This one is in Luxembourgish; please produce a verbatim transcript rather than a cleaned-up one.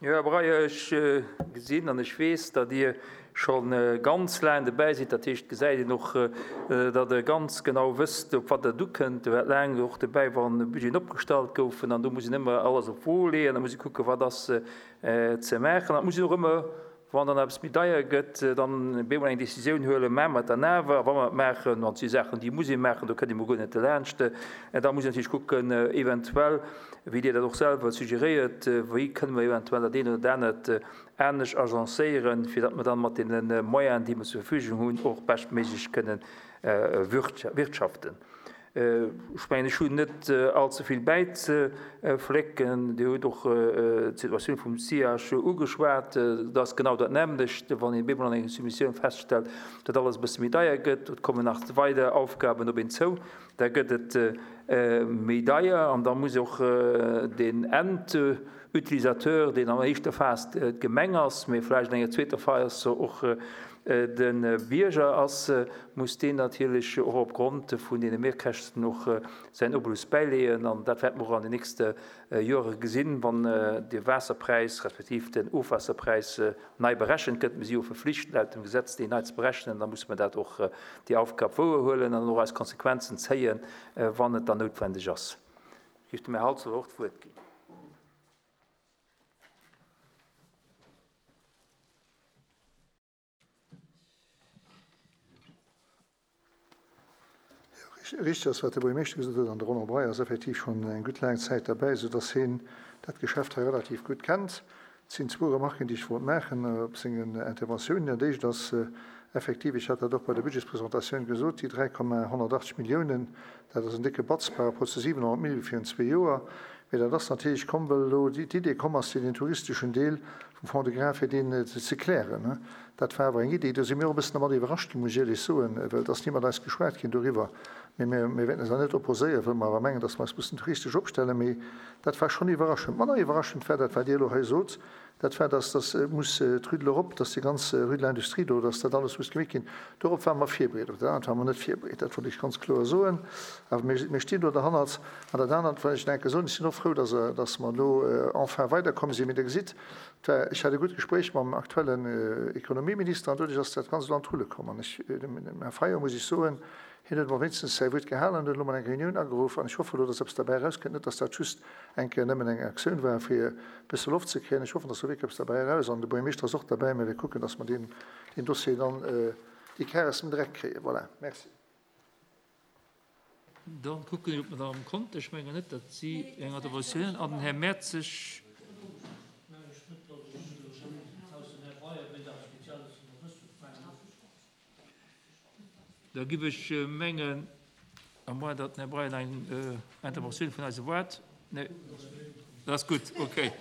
Jo, Här Breyer, ech gesinn an ech weess, datt Dir scho ganz laang dobäi sidd. Dat heescht, et gesäit een och, datt Der ganz genau wësst, op wat et ukënnt. Dir waart laang och dobäi, wann Budgeten opgestallt goufen. An do muss een ëmmer alles op d'Wo leeën. Da muss ee kucken, wat ass ze maachen. An et muss een och ëmmer, wann dann eppes méi deier gëtt, dann bemol eng Décisioun huelen, maache mer et dann awer? A wa mer et maachen, an et si Saachen, déi muss ee maachen, do kënnt ee mol guer net derlaanscht, da muss een natierlech kucken, eventuell, wéi Dir dat och selwer suggeréiert, wéi kënne mer eventuell dat eent oder dat anert anescht agencéieren, fir datt mer dann mat deene Moyenen, déi mer zur Verfügung hunn, och beschtméiglech kënne wirtschaften. Ech mengen, ech hunn net allze vill bäizeflécken. Dir hutt och d'Situatioun vum SIAG ugeschwat. Dat ass genau dat nämmlecht, wann een bemol an enger Soumissioun feststellt, datt alles e bësse méi deier gëtt, et kommen nach weider Aufgaben op een zou, da gëtt et méi deier an da muss och den Endutilisateur, deen an éischter Phas d'Gemeng ass, mee vläicht an enger zweeter Phas och de Bierger ass, muss deen natierlech och opgrond vun deene Mehrkäschten och säin Obolus bäileeën. An dat wäerte mer och an den nächste Jore gesinn, wann de Waasserpräis respektiv den Ofwaasserpräis nei berechent gëtt. Mir si jo verflicht laut dem Gesetz, deen nei ze berechnen. Da musse mer dat och, déi Aufgab wouerhuelen an och eis Konsequenzen zéien, wann et dann noutwendeg ass. Ech géif dem Här Halsdorf och d'Wuert ginn. Richteg ass, wat de Buergermeeschter gesot huet, an de Roland Breyer ass effektiv schonn eng gutt laang Zäit derbäi, soudass hien dat Geschäft hei relativ gutt kennt. Et sinn zwou Remarken, déi ech wollt maachen op sengen Interventiounen. Dat éischt ass effektiv, ech hat dat och bei der Budgetspresentatioun gesot, déi dräi Komma honnertachtzeg Milliounen, dat ass en décke Batz par rapport zu siwenhonnert Mille virun zwee Joer. Mee dat ass natierlech komm, well elo d'Idee komm ass, fir den touristeschen Deel vum Fonds de gras, fir deen ze klären. Dat war awer eng Idee, do si mir och e bëssen dermat iwwerrascht ginn, muss ech éierlech soen, well et ass ni mat eis geschwat ginn doriwwer. Mee mir, mir wäerten eis awer net opposéieren, well mer awer mengen, dass mer eis mussen touristesch opstellen. Mee dat war schonn iwwerraschend. Manner iwwerraschend war dat, wat Dir elo hei sot, dat war, dass, dass muss d'Rue de l'Europe, dass déi ganz Rue de l'Industrie do, dass dat alles muss gemeet ginn. Dorop ware mer virbereet. Op dat anert ware mer net virbereet, dat wollt ech ganz kloer soen. Awer mir, mir stinn do derhannert. An dat anert, wat ech nach eng Kéier soen, ech sinn och frou, dass, dass mer elo enfin weiderkomm sinn. Mee Der gesitt, et war, ech hat e gutt Gespréich mam aktuellen Ekonomieminister an doduerch ass dat Ganzt elo an d'Rulle komm. An ech, dem Här Fayot muss ech soen, hien huet emol wéinstens säi Wuert gehalen an huet elo mol eng Reunioun ageruff. An ech hoffe elo, dass eppes derbäi erauskënnt, net dass dat just eng Kéier nëmmen eng Aktioun war, fir e bësse Loft ze kréien. Ech hoffen, dass do wierklech eppes derbäi eraus. An de Buergermeeschter ass och derbäi. Mä mir kucken, dass mer deen, deen Dossier dann, déi Kar aus dem Dreck kréien. Voilà. Merci. Da kucken ech op d'Madame Conter. Ech mengen net, datt si eng Interventioun an den Här Mertzig. Da giff ech mengen, à moins datt den Här Breyer nach eng Interventioun vun eis erwaart. Nee, dat ass gutt, okay.